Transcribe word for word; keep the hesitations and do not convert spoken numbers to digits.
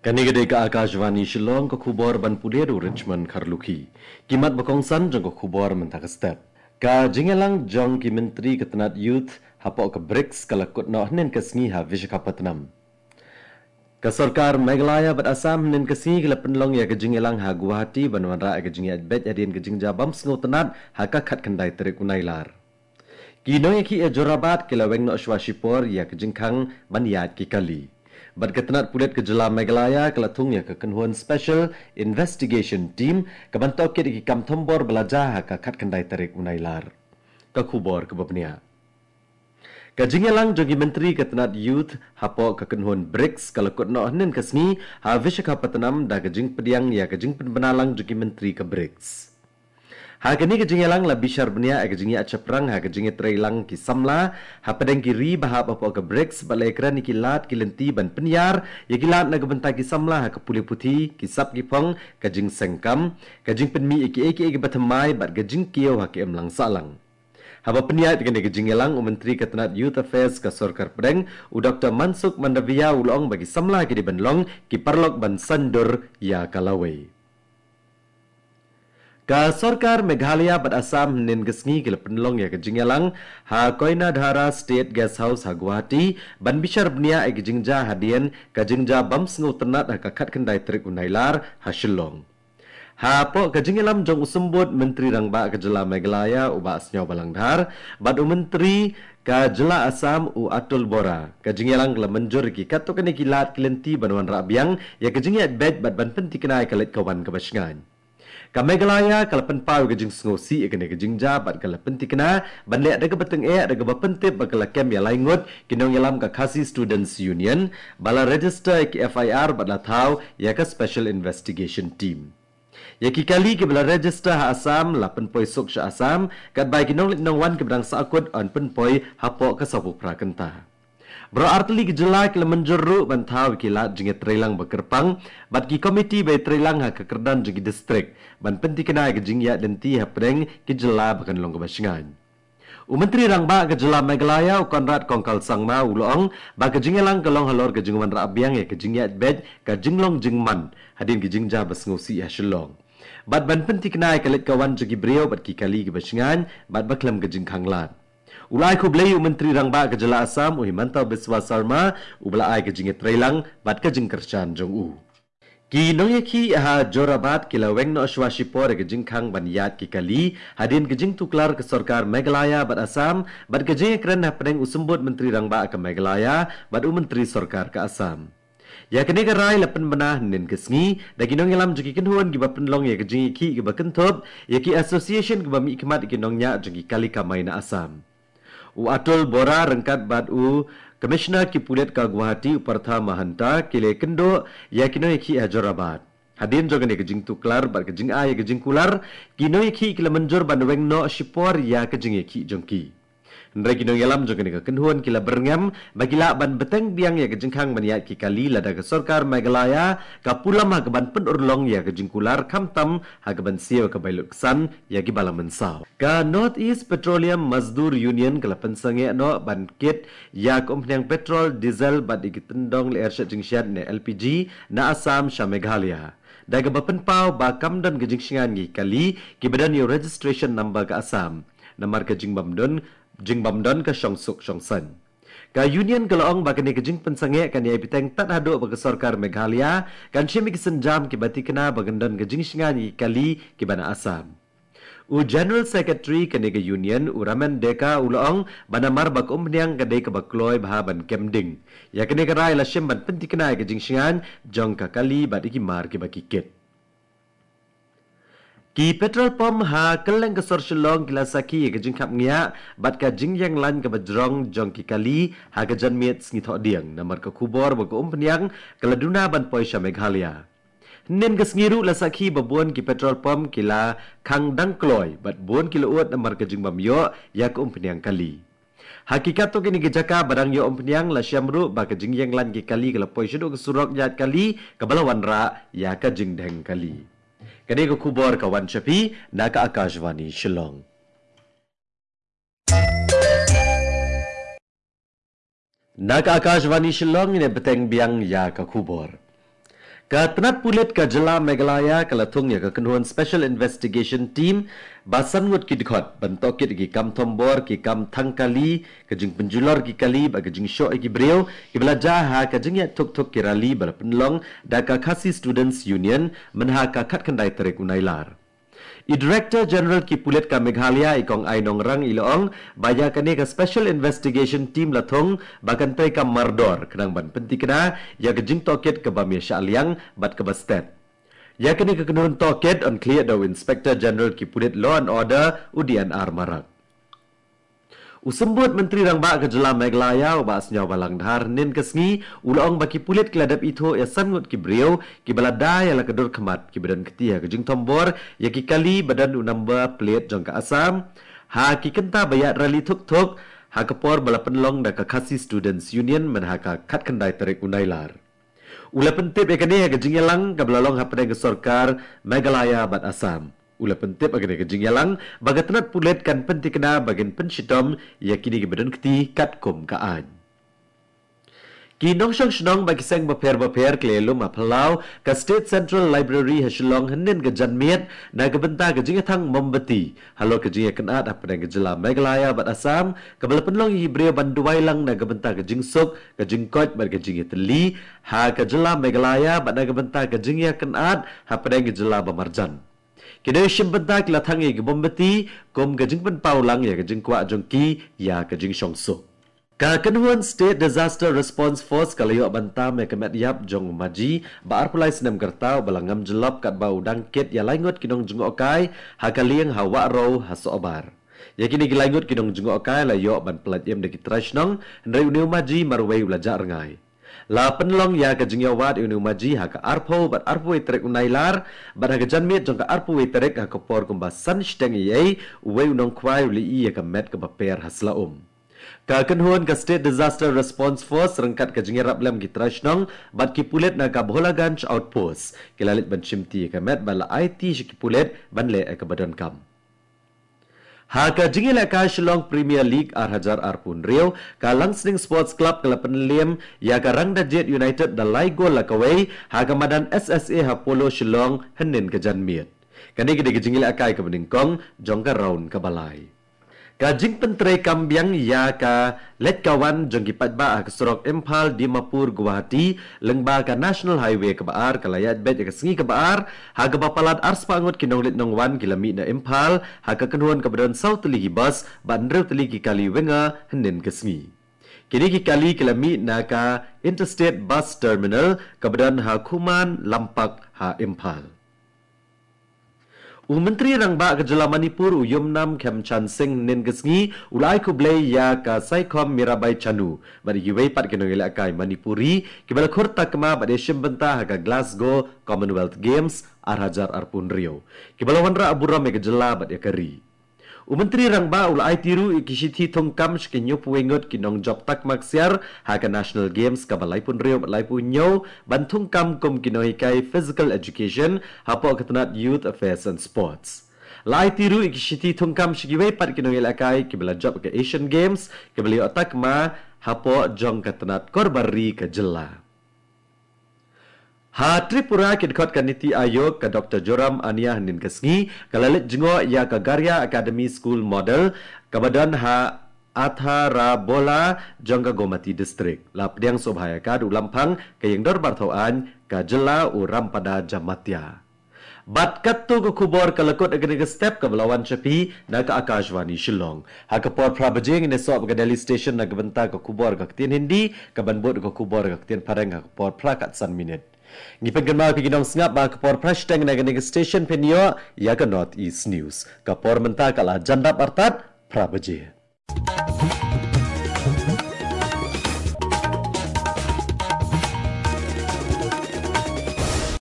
Kane ka dei ka Akashvani Shillong, ka khubor ban pule da u Richmond Kharlukhi. Ki mat ba kongsan jong ka khubor mynta ka step. Ka jingïalang jong ki myntri ka tnat youth hapoh ka brics ka la kut noh hynnin ka sngi ha Visakhapatnam. Ka sorkar Meghalaya bad Assam hynnin ka sngi ki la pynlong ïa ka jingïalang ha Guwahati ban wanrah ïa ka jingïaid beit hadien ka jingjia bym sngewtynnat ha ka khatkhyndai tarik u Nailar. Ki nongïakhih ha Jorabat ki la weng noh shuwa shipor ïa ka jingkhang ban ïaid ki kali. Bad ka tnat pulit ka jylla Meghalaya ka la thung ïa ka kynhun Special Investigation Team ka ban tohkit ïa ki kam thombor ba la jia ha ka khatkhyndai tarik u Nailar. Ka khubor kaba bniah. Ka jingïalang jong ki myntri ka tnat youth hapoh ka kynhun brics ka la kut noh hynnin ka sngi ha Visakhapatnam da ka jingpdiang ïa ka jingpynbna lang jong ki myntri ka brics. Ha kane ka jingïalang la bishar bniah ïa ka jingïaid shaphrang ha ka jingïatreilang ki samla hapdeng ki ri ba hap hapoh ka brics bad la ïakren ïa ki lad ki lynti ban pynïar ïa ki lad na ka bynta ki samla ha ka pule puthi, ki sap ki phong, ka jingseng kam, ka jingpynmih ïa kiei kiei kiba thymmai bad ka jingkiew ha ka imlang sahlang. Haba pynïaid ïa kane ka jingïalang, u Myntri ka tnat Youth Affairs ka Sorkar Pdeng, u Doktor Mansukh Mandaviya u la ong ba ki samla ki dei ban long ki paralok ban saiñdur ïa ka lawei. Ka Sorkar Meghalaya bad Assam hynnin ka sngi ki la pynlong ïa ka jingïalang ha Koinadhara State Guest House ha Guwahati ban bishar bniah ïa ka jingjia hadien ka jingjia bym sngewtynnat ha ka khatkhyndai tarik u Nailar ha Shillong. Hapoh ka jingïalam jong u Symbud Myntri Rangbah ka jylla Meghalaya u Bah Sniawbhalang Dhar bad u Myntri ka jylla Assam u Atul Bora, ka jingïalang ka la mynjur ïa ki katto katne ki lad ki lynti ban wanrah biang ïa ka jingïaid beit bad ban pynthikna ïa ka leit ka wan kaba shngaiñ. Ka Meghalaya ka la pynpaw ïa ka jingsngewsih ïa kane ka jingjia bad ka la pynthikna ban leh da kaba tyngeh da kaba pyntip ba ka la kem ïa lai ngut ki nongïalam ka Khasi Students Union ba la register ïa ki F I R bad la thaw ïa ka Special Investigation Team. Ïa ki kali kiba la register ha Assam la pynpoi suk sha Assam, katba ïa ki nongleit nongwan kiba dang sahkut yn pynpoi hapoh ka sawphew phra kynta. Baroh artylli ki jylla ki la mynjur ruh ban thaw ïa ki lad jingïatreilang ba kyrpang bad ki komiti ba ïatreilang ha ka kyrdan jong ki distrik ban pynthikna ïa ka jingïaid lynti hapdeng ki jylla ba kan long kaba shngaiñ. U Myntri Rangbah ka jylla Meghalaya u Conrad Kongkal Sangma u la ong ba ka jingïalang ka long halor ka jingwanrah biang ïa ka jingïaid beit ka jinglong jingman hadien ka jingjia ba sngewsih ha Shillong bad ban pynthikna ïa ka leit ka wan jong ki briew bad ki kali kiba shngaiñ bad ba khlem ka jingkhang lad. U la ai khublei ïa u Myntri Rangbah ka jylla Assam u Himanta Biswa Sarma uba la ai ka jingïatreilang bad ka jingkyrshan jong u. Ki nongïakhih ha Jorabat ki la weng noh shuwa shipor ïa ka jingkhang ban ïaid ki kali hadien ka jingtuklar ka Sorkar Meghalaya bad Assam bad ka jingïakren hapdeng u Symbud Myntri Rangbah ka Meghalaya bad u Myntri Sorkar ka Assam. Ïa kane ka rai la pynbna hynnin ka sngi da ki nongïalam jong ki kynhun kiba pynlong ïa ka jingïakhih kiba kynthup ïa ki association kiba mihkhmat ïa ki nongñiah jong ki kali kamai na Assam. U Atul Bora ryngkat bad u Commissioner ki pulit ka Guwahati u Partha Mahanta ki la ïakynduh ïa ki nongïakhih ha Jorabat. Hadien jong kane ka jingtuklar bad ka jingai ïa ka jingkular, ki nongïakhih ki la mynjur ban weng noh shipor ïa ka jingïakhih jong ki. Hynrei ki nongïalam jong kane ka kynhun ki la byrngem ba ki lah ban bteng biang ïa ka jingkhang ban ïaid ki kali lada ka Sorkar Meghalaya ka pulom ha kaban pynurlong ïa ka jingkular khamtam ha kaban siew ka bai lut ksan ïa kiba la mynsaw. Ka North East Petroleum Mazdoor Union ka la pynsangeh noh ban kit ïa ka umphniang petrol, diesel bad ïa ki tyndong lyer shet jingshet ne L P G na Assam sha Meghalaya da kaba pynpaw ba kam don ka jingshngaiñ ïa ki kali kiba don ïa u registration number ka Assam namar ka jingbym don, jingbym don ka shongsuk shongsaiñ. Ka Union ka la ong ba kane ka jingpynsangeh kan ïai bteng tad haduh ba ka Sorkar Meghalaya kan shim ïa ki sienjam kiba tikna ba kan don ka jingshngaiñ ïa ki kali kiba na Assam. U General Secretary kane ka Union u Ramen Deka u la ong ba namar ba ka umphniang ka dei kaba kloi bha ban kem ding, ïa kane ka rai la shim ban pyntikna ïa ka jingshngaiñ jong ka kali bad ïa ki mar kiba ki kit. Ki petrol pump ha kylleng ka sor Shillong ki la sakhi ïa ka jingkhapngiah bad ka jingïeng lain kaba jrong jong ki kali ha ka janmiet Sngi Thohdieng namar ka khubor ba ka umphniang ka la duna ban poi sha Meghalaya. Hynnin ka sngi ruh la sakhi ba bun ki petrol pump ki la khang dang kloi bad bun ki la ud namar ka jingbym ïoh ïa ka umphniang kali. Ha ki katto katne ki jaka ba dang ïoh umphniang la shem ruh ba ka jingïeng lain ki kali ka la poi shaduh ka surok ïaid kali kaba la wanrah ïa ka jingdheng kali. Kane ka khubor ka wan sha phi na ka Akashvani Shillong. Na ka Akashvani Shillong ngin ïa bteng biang ïa ka khubor. Ka tnat pulit ka jylla Meghalaya ka la thung ïa ka kynhun Special Investigation Team ba san ngut ki dkhot ban tohkit ïa ki kam thombor, ki kam thang kali, ka jingpynjulor ki kali bad ka jingshoh ïa ki briew kiba la jia ha ka jingïaid thuk thuk ki rali ba la pynlong da ka Khasi Students Union mynha ka khatkhyndai tarik u Nailar. I Director General ki pulit ka Meghalaya, i Kong Ainong Rang, i la ong ba ïa kane ka Special Investigation Team la thung ba kan trei kam mardor khnang ban pyntikna ïa ka jingtohkit kaba mih shah liang bad kaba stet. Ïa kane ka kynhun tohkit yn khlieh da u Inspector General ki pulit Law and Order, u D N R Marak. U Symbud Myntri Rangbah ka jylla Meghalaya, u Bah Sniawbhalang Dhar, hynnin ka sngi u la ong ba ki pulit ki la dep ithuh ïa san ngut ki briew kiba la da ïa la ka dur khmat kiba don kti ha ka jingthombor ïa ki kali ba don u number plate jong ka Assam ha ki kynta ba ïaid rali thuk thuk ha ka por ba la pynlong da ka Khasi Students Union mynha ka khatkhyndai tarik u Nailar. U la pyntip ïa kane ha ka jingïalang kaba la long hapdeng ka sorkar Meghalaya bad Assam. U la pyntip ïa kane ka jingïalang ba ka tnat pulit kan pyntikna ba kin pynshitom ïa kine kiba don kti katkum ka aiñ. Ki nongshong shnong bad ki seng bapher bapher ki la ïalum ha phyllaw ka State Central Library ha Shillong hynnin ka janmiet na ka bynta ka jingïathang mombati halor ka jingïakynad hapdeng ka jylla Meghalaya bad Assam kaba la pynlong ïa ki briew ban duwai lang na ka bynta ka jingsuk, ka jingkoit bad ka jingïatylli ha ka jylla Meghalaya bad na ka bynta ka jingïakynad hapdeng ka jylla ba marjan. Ki nongshim bynta ki la thang ïa ki mombati kum ka jingpynpaw lang ïa ka jingkwah jong ki ïa ka jingshongsuk. Ka kynhun State Disaster Response Force ka la ïoh ban tam ïa ka met ïap jong u Maji ba arphew lai snem ka rta uba la ngam jyllop katba u dang kit ïa lai ngut ki nongjngohkai ha ka lieng ha Wahrow ha Sohbar. Ïa kine ki lai ngut ki nongjngohkai la ïoh ban pyllait im da ki trai shnong, hynrei une u Maji marwei u la jah rngai. La pynlong ïa ka jingïawad ïa une u Maji ha ka arphew bad arphew wei tarik u Nailar, bad ha ka janmiet jong ka arphew wei tarik ha ka por kumba san shiteng eiei, uwei u nongkhwai u la ïohi ïa ka met kaba per ha sla um. Ka kynhun ka State Disaster Response Force ryngkat ka jingïarap lem ki trai shnong bad ki pulit na ka Bholaganj Outpost ki la leit ban shimti ïa ka met bad la aiti sha ki pulit ban leh ïa kaba donkam. Ha ka jingïalehkai Shillong Premier League ar hajar arphew hynriew, ka Langsning Sports Club ka la pynliem ïa ka Rangdajied United da lai gol la kawei ha ka madan S S A ha Polo Shillong hynnin ka janmiet. Kane ka dei ka jingïalehkai kaba nyngkong jong ka round kaba lai. Ka jingpyntreikam biang ïa ka leit ka wan jong ki paidbah ha ka surok Imphal Dimapur Guwahati lyngba ka National Highway kaba ar ka la ïaid beit ïa ka sngi kaba ar, ha kaba palat arspah ngut ki nongleit nongwan ki la mih na Imphal ha ka kynhun kaba don saw tylli ki bus bad hynriew tylli ki kali winger hynnin ka sngi. Kine ki kali ki la mih na ka Interstate Bus Terminal kaba don ha Khuman Lampak ha Imphal. U Myntri Rangbah ka jylla Manipur u Yumnam Khemchand Singh hynnin ka sngi u la ai khublei ïa ka Saikhom Mirabai Chanu bad ïa kiwei pat ki nongïalehkai Manipuri kiba la khur takma bad ïashim bynta ha ka Glasgow Commonwealth Games ar hajar arphew hynriew, kiba la wanrah burom ïa ka jylla bad ïa ka ri. U Myntri Rangbah u la aiti ruh ïa ki shithi thungkam sha ki hynñiewphew wei ngut ki nongjop takma ksiar ha ka National Games kaba laiphew hynriew bad laiphew hynñiew ban thungkam kum ki nonghikai Physical Education hapoh ka tnat Youth Affairs and Sports. La aiti ruh ïa ki shithi thungkam sha kiwei pat ki nongïalehkai kiba la jop ha ka Asian Games kiba la ïoh takma hapoh jong ka tnat Korbar Ri ka jylla. Ha Tripura, ki dkhot ka Niti Aayog ka Doctor Joram Ania hynnin ka sngi ka la leit jngoh ïa ka Garhia Academy School Model kaba don ha Atharabola jong ka Gomati District. La pdiang sngewbha ïa ka da u Lamphang ka Ïingdorbar Thawaiñ ka jylla u Rampada Jamatia. Bad katto ka khubor ka la kut ha kane ka step kaba la wan sha phi na ka Akashvani Shillong. Ha ka por phra baje ngin ïasoh bad ka Delhi Station na ka bynta ka khubor ka ktien Hindi, kaban bud ka khubor ka ktien Phareng ha ka por phra kat san minit. Ngi pynkynmaw ïa phi ki nongsngap ba ha ka por phra shiteng na kane ka station phin ïoh ïa ka North East News. Ka por mynta ka la jan dap artat phra baje.